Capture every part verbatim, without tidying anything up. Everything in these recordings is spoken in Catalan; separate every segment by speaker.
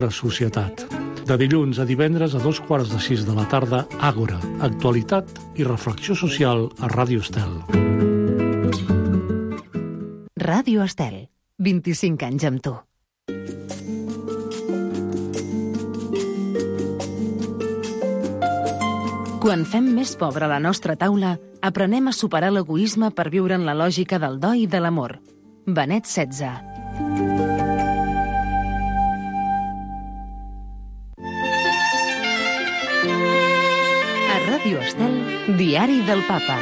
Speaker 1: La societat. De dilluns a divendres a dos quarts de sis de la tarda, Àgora, actualitat i reflexió social a Ràdio Estel.
Speaker 2: Ràdio Estel, vint-i-cinc anys amb tu. Quan fem més pobra la nostra taula, aprenem a superar l'egoisme per viure en la lògica del do i de l'amor. Benet setze. A Ràdio Estel, Diari del Papa.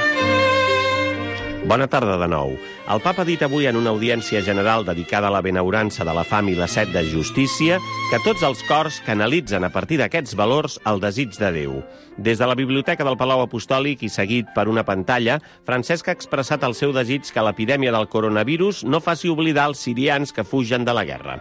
Speaker 3: Bona tarda de nou. El Papa ha dit avui en una audiència general dedicada a la benaurança de la fam i la set de justícia que tots els cors canalitzen a partir d'aquests valors el desig de Déu. Des de la Biblioteca del Palau Apostòlic i seguit per una pantalla, Francesc ha expressat el seu desig que l'epidèmia del coronavirus no faci oblidar els sirians que fugen de la guerra.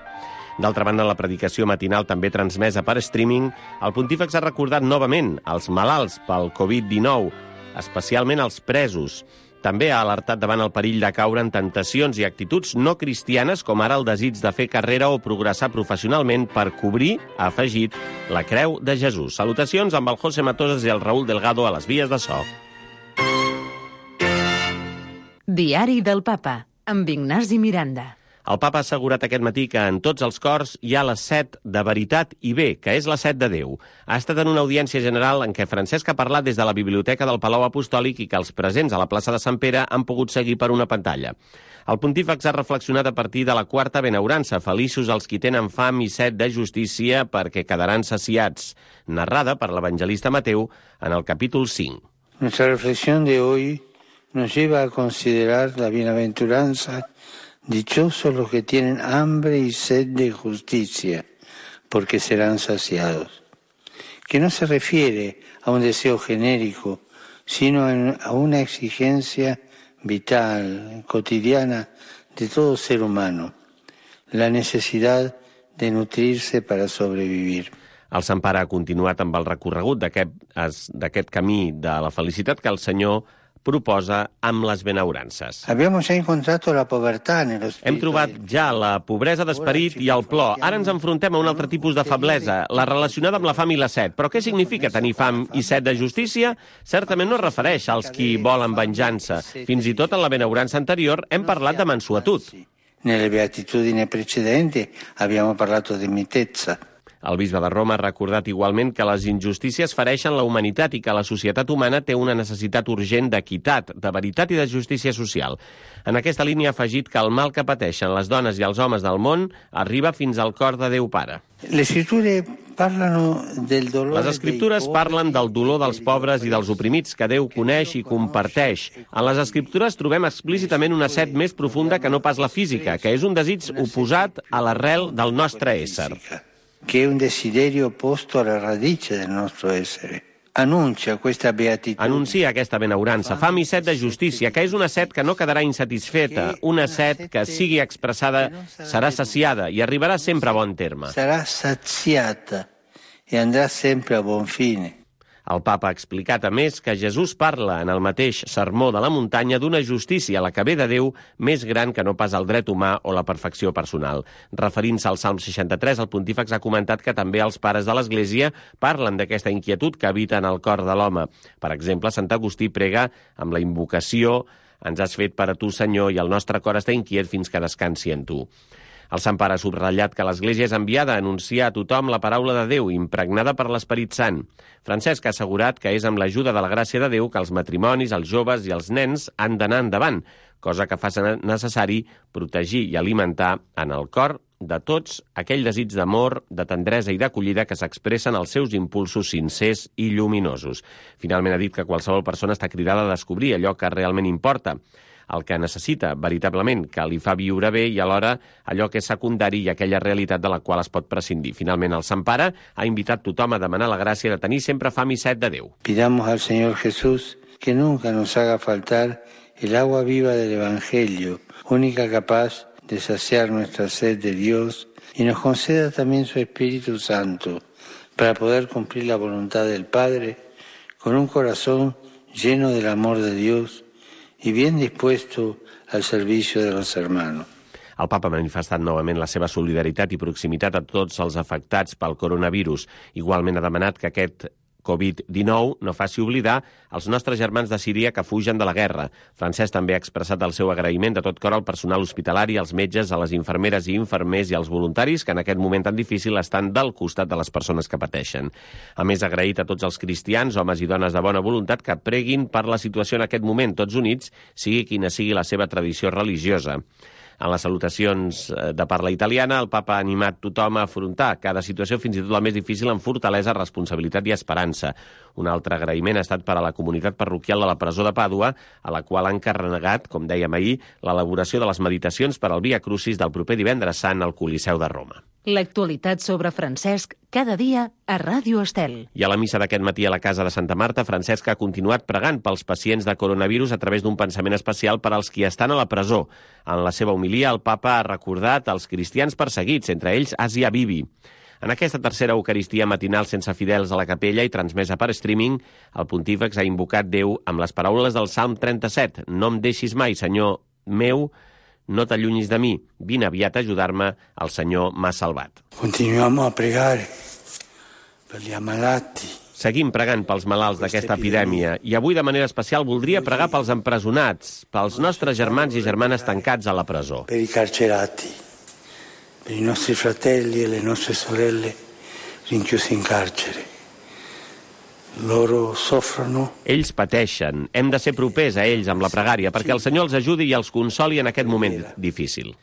Speaker 3: D'altra banda, en la predicació matinal també transmesa per streaming, el pontífex ha recordat novament els malalts pel covid dinou, especialment els presos. També ha alertat davant el perill de caure en tentacions i actituds no cristianes, com ara el desig de fer carrera o progressar professionalment per cobrir, ha afegit, la creu de Jesús. Salutacions amb el José Matosas i el Raúl Delgado a les vies de so.
Speaker 2: Diari del Papa, amb Ignasi Miranda.
Speaker 3: El Papa ha assegurat aquest matí que en tots els cors hi ha la set de veritat i bé, que és la set de Déu. Ha estat en una audiència general en què Francesc ha parlat des de la Biblioteca del Palau Apostòlic i que els presents a la plaça de Sant Pere han pogut seguir per una pantalla. El pontífex ha reflexionat a partir de la quarta benaurança, feliços els qui tenen fam i set de justícia perquè quedaran saciats, narrada per l'evangelista Mateu en el capítol cinc.
Speaker 4: Nuestra reflexión de hoy nos lleva a considerar la bienaventuranza. Dichosos los que tienen hambre y sed de justicia, porque serán saciados. Que no se refiere a un deseo genérico, sino a una exigencia vital, cotidiana de todo ser humano, la necesidad de nutrirse para sobrevivir.
Speaker 3: El Sant Pare ha continuat amb el recorregut d'aquest camí de la felicitat que el Senyor proposa amb les benaurances. Hem trobat ja la pobresa d'esperit i el plor. Ara ens enfrontem a un altre tipus de feblesa, la relacionada amb la fam i la set. Però què significa tenir fam i set de justícia? Certament no es refereix als qui volen venjança. Fins i tot en la benaurança anterior hem parlat de mansuetud.
Speaker 4: Nelle beatitudini precedenti abbiamo parlato di mitezza.
Speaker 3: El bisbe de Roma ha recordat igualment que les injustícies fereixen la humanitat i que la societat humana té una necessitat urgent d'equitat, de veritat i de justícia social. En aquesta línia ha afegit que el mal que pateixen les dones i els homes del món arriba fins al cor de Déu Pare.
Speaker 4: Les
Speaker 3: Escriptures parlen del dolor dels pobres i dels oprimits que Déu coneix i comparteix. En les Escriptures trobem explícitament una set més profunda que no pas la física, que és un desig oposat a l'arrel del nostre ésser.
Speaker 4: Che è un desiderio opposto alla radice del nostro essere. Anuncia questa beatitudine.
Speaker 3: Anuncia aquesta benaurança, fam i set de justícia, que és una set que no quedarà insatisfeta, una set que sigui expressada serà saciada i arribarà sempre a bon terme.
Speaker 4: Sarà saziata e andrà sempre a buon fine.
Speaker 3: El Papa ha explicat, a més, que Jesús parla en el mateix sermó de la muntanya d'una justícia, la que ve de Déu, més gran que no pas el dret humà o la perfecció personal. Referint-se al Salm seixanta-tres, el pontífex ha comentat que també els pares de l'Església parlen d'aquesta inquietud que habita en el cor de l'home. Per exemple, Sant Agustí prega amb la invocació «Ens has fet per a tu, Senyor, i el nostre cor està inquiet fins que descansi en tu». El Sant Pare ha subratllat que l'Església és enviada a anunciar a tothom la paraula de Déu, impregnada per l'Esperit Sant. Francesc ha assegurat que és amb l'ajuda de la gràcia de Déu que els matrimonis, els joves i els nens han d'anar endavant, cosa que fa necessari protegir i alimentar en el cor de tots aquell desig d'amor, de tendresa i d'acollida que s'expressen als seus impulsos sincers i lluminosos. Finalment ha dit que qualsevol persona està cridada a descobrir allò que realment importa, el que necessita veritablement, que li fa viure bé i alhora allò que és secundari i aquella realitat de la qual es pot prescindir. Finalment, el Sant Pare ha invitat tothom a demanar la gràcia de tenir sempre fam i set de Déu.
Speaker 4: Pidamos al Señor Jesús que nunca nos haga faltar el agua viva del Evangelio, única capaz de saciar nuestra sed de Dios, y nos conceda también su Espíritu Santo para poder cumplir la voluntad del Padre con un corazón lleno del amor de Dios y bien dispuesto al servicio de los hermanos.
Speaker 3: El papa ha manifestat novament la seva solidaritat i proximitat a tots els afectats pel coronavirus. Igualment ha demanat que aquest covid dinou no faci oblidar els nostres germans de Síria que fugen de la guerra. Francesc també ha expressat el seu agraïment de tot cor al personal hospitalari, als metges, a les infermeres i infermers i als voluntaris que en aquest moment tan difícil estan del costat de les persones que pateixen. A més, ha agraït a tots els cristians, homes i dones de bona voluntat, que preguin per la situació en aquest moment, tots units, sigui quina sigui la seva tradició religiosa. En les salutacions de parla italiana, el papa ha animat tothom a afrontar cada situació, fins i tot la més difícil, amb fortalesa, responsabilitat i esperança. Un altre agraïment ha estat per a la comunitat parroquial de la presó de Pàdua, a la qual han encarregat, com dèiem ahir, l'elaboració de les meditacions per al Via Crucis del proper divendres sant al Coliseu de Roma.
Speaker 2: L'actualitat sobre Francesc cada dia a Ràdio Estel.
Speaker 3: I a la missa d'aquest matí a la casa de Santa Marta, Francesc ha continuat pregant pels pacients de coronavirus a través d'un pensament especial per als qui estan a la presó. En la seva homilia, el papa ha recordat els cristians perseguits, entre ells Asia Bibi. En aquesta tercera Eucaristia matinal sense fidels a la capella i transmesa per streaming, el pontífex ha invocat Déu amb les paraules del Salm trenta-set. No em deixis mai, Senyor meu, no t'allunyis de mi. Vine aviat a ajudar-me, el Senyor m'ha salvat.
Speaker 4: Continuem a pregar per gli ammalati.
Speaker 3: Seguim pregant pels malalts d'aquesta epidèmia i avui de manera especial voldria pregar pels empresonats, pels nostres germans i germanes tancats a la presó.
Speaker 4: Per i carcerati, per i nostri fratelli e le nostre sorelle rinchiusi in carcere. Loro soffrono.
Speaker 3: Ells pateixen. Hem de ser propers a ells amb la pregària perquè el Senyor els ajudi i els consoli en aquest moment difícil.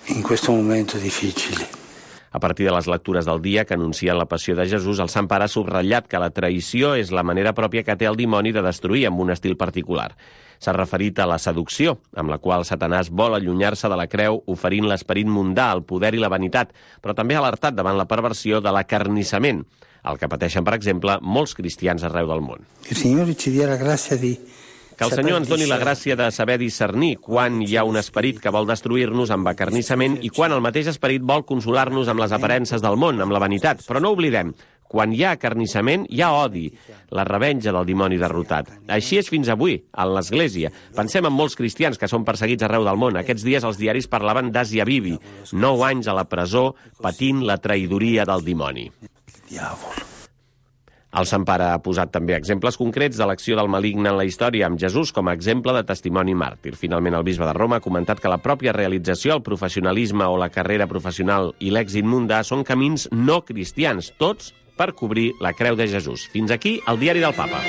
Speaker 4: In questo momento difficile.
Speaker 3: A partir de les lectures del dia que anuncien la passió de Jesús, el Sant Pare ha subratllat que la traïció és la manera pròpia que té el dimoni de destruir amb un estil particular. S'ha referit a la seducció, amb la qual Satanàs vol allunyar-se de la creu, oferint l'esperit mundà, el poder i la vanitat, però també ha alertat davant la perversió de l'acarnissament, el que pateixen, per exemple, molts cristians arreu del món.
Speaker 4: Que el Senyor ci dia la gràcia di...
Speaker 3: Que el Senyor ens doni la gràcia de saber discernir quan hi ha un esperit que vol destruir-nos amb acarnissament i quan el mateix esperit vol consolar-nos amb les aparences del món, amb la vanitat. Però no oblidem, quan hi ha acarnissament, hi ha odi, la revenja del dimoni derrotat. Així és fins avui, a l'Església. Pensem en molts cristians que són perseguits arreu del món. Aquests dies els diaris parlaven d'Asia Bibi, nou anys a la presó patint la traïdoria del dimoni.
Speaker 4: Diavolo.
Speaker 3: El Sant Pare ha posat també exemples concrets de l'acció del maligne en la història, amb Jesús com a exemple de testimoni màrtir. Finalment, el bisbe de Roma ha comentat que la pròpia realització, el professionalisme o la carrera professional i l'èxit mundà són camins no cristians, tots per cobrir la creu de Jesús. Fins aquí el diari del Papa.